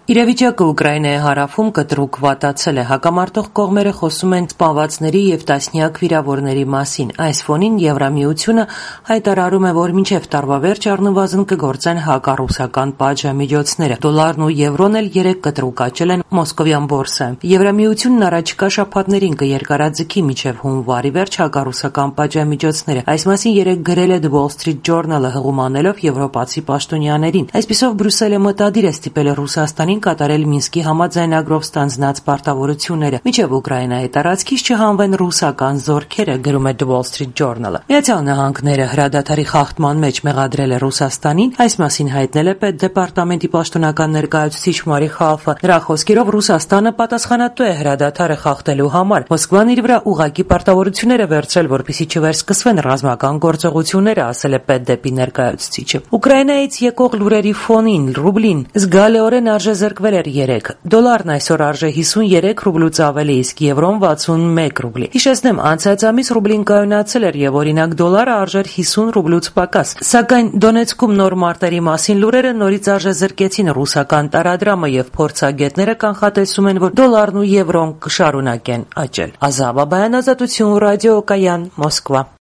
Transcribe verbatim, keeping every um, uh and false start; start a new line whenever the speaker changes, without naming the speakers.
Իրավիճակը Ուկրաինայի հարավում կտրուկ վատացել է, հակամարտող կողմերը խոսում են սպանվածների և տասնյակ վիրավորների մասին։ Այս ֆոնին Եվրամիությունը հայտարարում է, որ մինչև տարվա վերջ առնվազն կգործեն հակառուսական պատժամիջոցները։ Դոլարն ու եվրոն էլ երեկ կտրուկ աճել են մոսկովյան բորսայում։ Եվրամիությունն առաջիկա շաբաթներին կերկարաձգի մինչև հունվարի վերջ հակառուսական պատժամիջոցները։ Այս մասին երեկ գրել է The Wall Street Journal-ը, հղումանելով եվրոպացի պաշտոնյաներին։ Այսպիսով Բրյուսելը մտադիր է ստիպել Ռուսաստանին կատարել Մինսկի համաձայնագրով ստանձնած պարտավորությունները, մինչև Ուկրաինայի տարածքից չհանվեն ռուսական զորքերը, գրում է The Wall Street Journal-ը։ Միացյալ Նահանգները հրադադարի խախտման մեջ մեղադրել է Ռուսաստանին, այս մասին հայտնել է Պետդեպարտամենտի պաշտոնական ներկայացուցիչ Մարի Խալֆը։ Նրա խոսքերով Ռուսաստանը պատասխանատու է հրադադարը խախտելու համար։ Մոսկվան իր վրա ուղղակի պարտավորություններ է վերցրել, որպեսզի չվերսկսվեն ռազմական գործողությունները, ասել է Պետդեպի ներկայացուցիչը։ Ուկրաինայից եկող լուրերի ֆոնին ռուբլին զգալիորեն արժեզրկվել էր երեկ։ Դոլարն այսօր արժե հիսունյերեք ռուբլուց ավելի, իսկ եվրոն վաթսունմեկ ռուբլի։ Հիշեցնեմ, անցած ամիս ռուբլին կայունացել էր եւ օրինակ դոլարը արժեր հիսուն ռուբլուց պակաս։ Սակայն Դոնեցկում նոր մարտերի մասին լուրերը նորից արժեզրկեցին ռուսական տարադրամը եւ փորձագետները կանխատեսում են, որ դոլարն ու եվրոն կշարունակեն աճել։ Ազատ Բաբայան, Ազատություն ռադիո, Կայան, Մոսկվա։